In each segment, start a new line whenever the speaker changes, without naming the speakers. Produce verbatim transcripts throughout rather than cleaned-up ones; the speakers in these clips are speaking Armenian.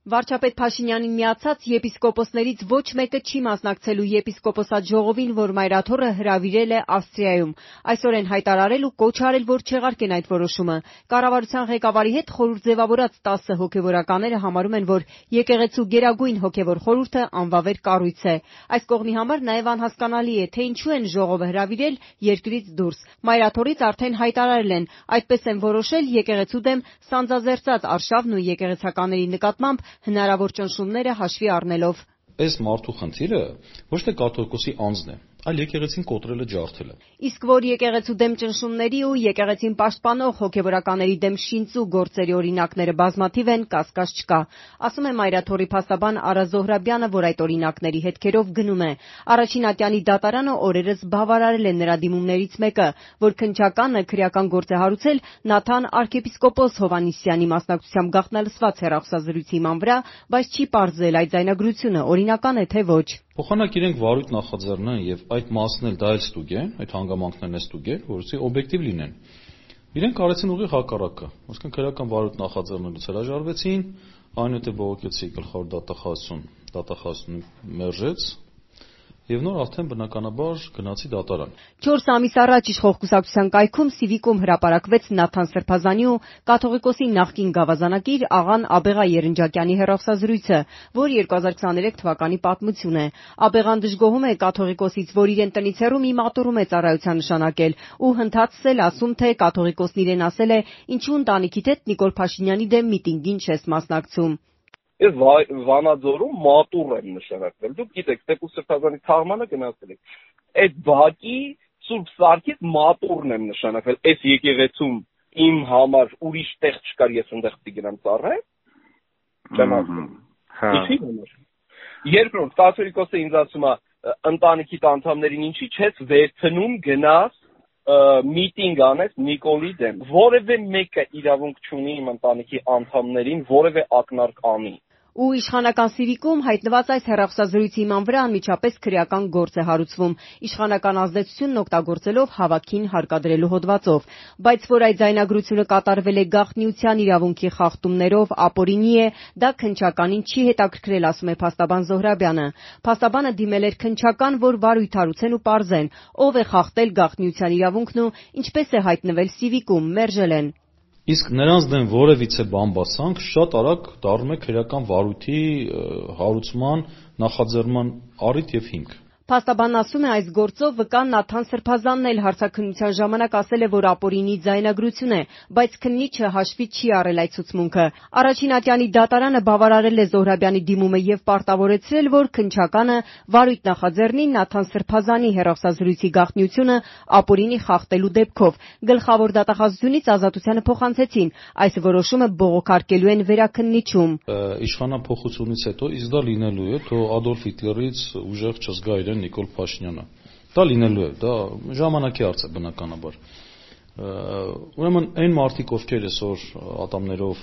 Վարչապետ Փաշինյանին միացած եպիսկոպոսներից ոչ մեկը չի մասնակցելու եպիսկոպոսատ ժողովին, որ մայրաթոռը հրավիրել է Ավստրիայում։ Այսօր են հայտարարել ու կոչ արել, որ չեղարկեն այդ որոշումը։ Կառավարության ղեկավարի հետ խորհուրդ ձևավորած տասը հոգևորականները համարում են, որ եկեղեցու գերագույն հոգևոր խորհուրդը անվավեր կառույց է։ Այս կողմի համար նաև անհասկանալի է, թե ինչու են ժողովը հրավիրել երկրից դուրս։ Մայրաթոռից արդեն հայտարարել են, այդպես են որոշել եկեղեցու դեմ սանձազերծած արշավն ու եկեղեցականների նկատմամբ հնարավոր ճնշումները հաշվի առնելով։
Այս մարդու խնդիրը ոչ թե կաթողիկոսի անձն է, այլ եկեղեցին կոտրելը ջարդելը։
Իսկ որ եկեղեցու դեմ ճնշումների ու եկեղեցին պաշտպանող հոգևորականների դեմ շինծու գործերի օրինակները բազմաթիվ են, կասկած չկա։ Ասում է մայրաթոռի փաստաբան Արա Զոհրաբյանը, որ այդ օրինակների հետքերով գնում է։ Առաջին ատյանի դատարանը օրերս բավարարել է նրա դիմումներից մեկը, որ քննչականը քրեական գործ է հարուցել Նաթան arczepiskopos Հովհաննիսյանի մասնակցությամբ գաղտնալսված հեռախոսազրույցի հիման վրա, բայց չի պարզել այդ ձայնագրությունը օրինական է թե ոչ։
Փոխանակ իրենք վարույթ նախաձեռնեն եւ այդ մասն էլ դա էլ ստուգեն, այդ հանգամանքներն էլ ստուգեն, որովհետեւ օբյեկտիվ լինեն։ Իրենք արեցին ուղիղ հակառակը, այսինքն քրեական վարույթ նախաձեռնելուց հրաժարվեցին, այնուհետեւ բողոքեցի գլխավոր դատախազություն, դատախազությունը մերժեց եւ նոր արդեն բնականաբար գնացի դատարան։
չորս ամիս առաջ իշխող կուսակցության կայքում Սիվիկում հրապարակվեց Նաթան Սրբազանի ու կաթողիկոսի նախկին գավազանակիր աղան Աբեղա Երնջակյանի հեռախոսազրույցը, որ երկու հազար քսաներեք թվականի պատմություն է։ Աբեղան դժգոհում է կաթողիկոսից, որ իրեն տնից հեռու մի մատուռում է ծառայության նշանակել ու հնդածս էլ ասում, թե կաթողիկոսն իրեն ասել է, ինչու ընտանիքիդ հետ Նիկոլ Փաշինյանի դեմ միտինգին չես մասնակցում։
Ես Վանաձորում մատուռ եմ նշանակվել։ Դուք գիտեք, Տեր Սրբազանի թաղմանը գնացել եք։ Այդ բակի Սուրբ Սարգիս մատուռն եմ նշանակվել։ Այս եկեղեցում իմ համար ուրիշ տեղ չկար, ես այնտեղ պիտի գնամ ծառայեմ։ Չեմ ասում։ Հա։ Ինչի՞ համար։ Երկրորդ կաթողիկոսը ինձ ասում է, ընտանիքիդ անդամներին ինչի՞ չես վերցնում գնաս միտինգ անես Նիկոլի դեմ։ Որևէ մեկը իրավունք չունի իմ ընտանիքի անդամներին որևէ ակնարկ անի։
Ու իշխանական Սիվիկում հայտնված այս հեռախոսազրույցի հիման վրա անմիջապես քրեական գործ է հարուցվում, իշխանական ազդեցությունն օգտագործելով հավաքին հարկադրելու հոդվածով, բայց որ այդ ձայնագրությունը կատարվել է գաղտնիության իրավունքի խախտումներով, ապօրինի է, դա քննչականին չի հետաքրքրել, ասում է փաստաբան Զոհրաբյանը։ Փաստաբանը դիմել էր քննչական, որ վարույթ հարուցեն ու պարզեն, ով է խախտել գաղտնիության իրավունքն ու ինչպես է հայտնվել Սիվիկում, մերժել են։
Իսկ նրանց դեմ որևիցե բամբասանք շատ արագ դառնում է քրեական վարույթի հարուցման նախաձեռնման առիթ եւ հիմք։
Փաստաբանն ասում է, այս գործով վկան Նաթան Սրբազանն էլ հարցաքննության ժամանակ ասել է, որ ապօրինի ձայնագրություն է, բայց քննիչը հաշվի չի առել այդ ցուցմունքը։ Առաջին ատյանի դատարանը բավարարել է Զոհրաբյանի դիմումը եւ պարտավորեցրել, որ քննչականը վարույթ նախաձեռնի Նաթան Սրբազանի հեռախոսազրույցի գաղտնիությունը ապօրինի խախտելու դեպքով։ Գլխավոր դատախազությունից ազատությանը փոխանցեցին։ Այս որոշումը բողոքարկելու են վերաքննիչում։
Իշխանափոխությունից հետո իսկ դա լինելու է, թող Ադոլֆ Հիտլերից ուժեղ չզգա իրեն Նիկոլ Փաշինյանը։ Դա լինելու է, դա ժամանակի հարց է բնականաբար։ Ուրեմն այն մարդիկ, ովքեր այսօր ատամներով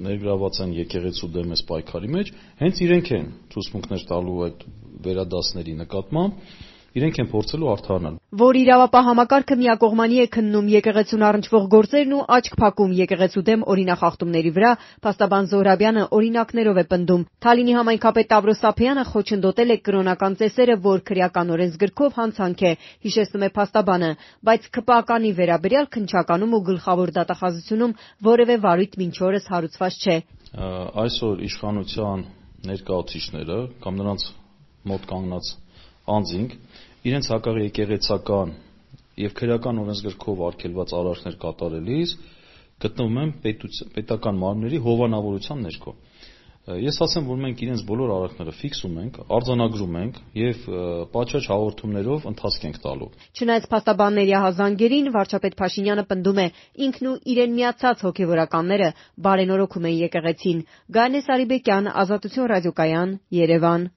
ներգրաված են եկեղեցու դեմ այս պայքարի մեջ, հենց իրենք են ցուցմունքներ տալու այդ վերադասների նկատմամբ, իրենք են փորձելու արդարանալ։
Որ իրավապահ համակարգը միակողմանի է քննում եկեղեցուն առնչվող գործերն ու աչք փակում եկեղեցու դեմ օրինախախտումների վրա, փաստաբան Զոհրաբյանը օրինակներով է պնդում։ Թալինի համայնքապետ Տավրոս Սափյանը խոչընդոտել է կրոնական ծեսերը, որ քրեական օրենսգրքով հանցանք է, հիշեցնում է փաստաբանը, բայց ՔՊԱ-կանի վերաբերյալ քննչականում ու գլխավոր դատախազությունում որևէ վարույթ մինչ օրս հարուցված չէ։
Այսօր իշխանության ներկայացուցիչները կամ նրանց մոտ կանգնած անձինք իրենց հակաեկեղեցական եւ քրեական օրենսգրքով արգելված արարքներ կատարելիս գտնվում են պետական մարմինների հովանավորության ներքո։ Ես ասեմ, որ մենք իրենց բոլոր արարքները ֆիքսում ենք, արձանագրում ենք եւ պատշաճ հաղորդումներով ընթացք ենք տալու։
Չնայած փաստաբանների ահազանգերին, վարչապետ Փաշինյանը պնդում է, ինքն ու իրեն միացած հոգևորականները բարենորոգում են եկեղեցին։ Գայանե Սարիբեկյան, Ազատություն ռադիոկայան, Երևան։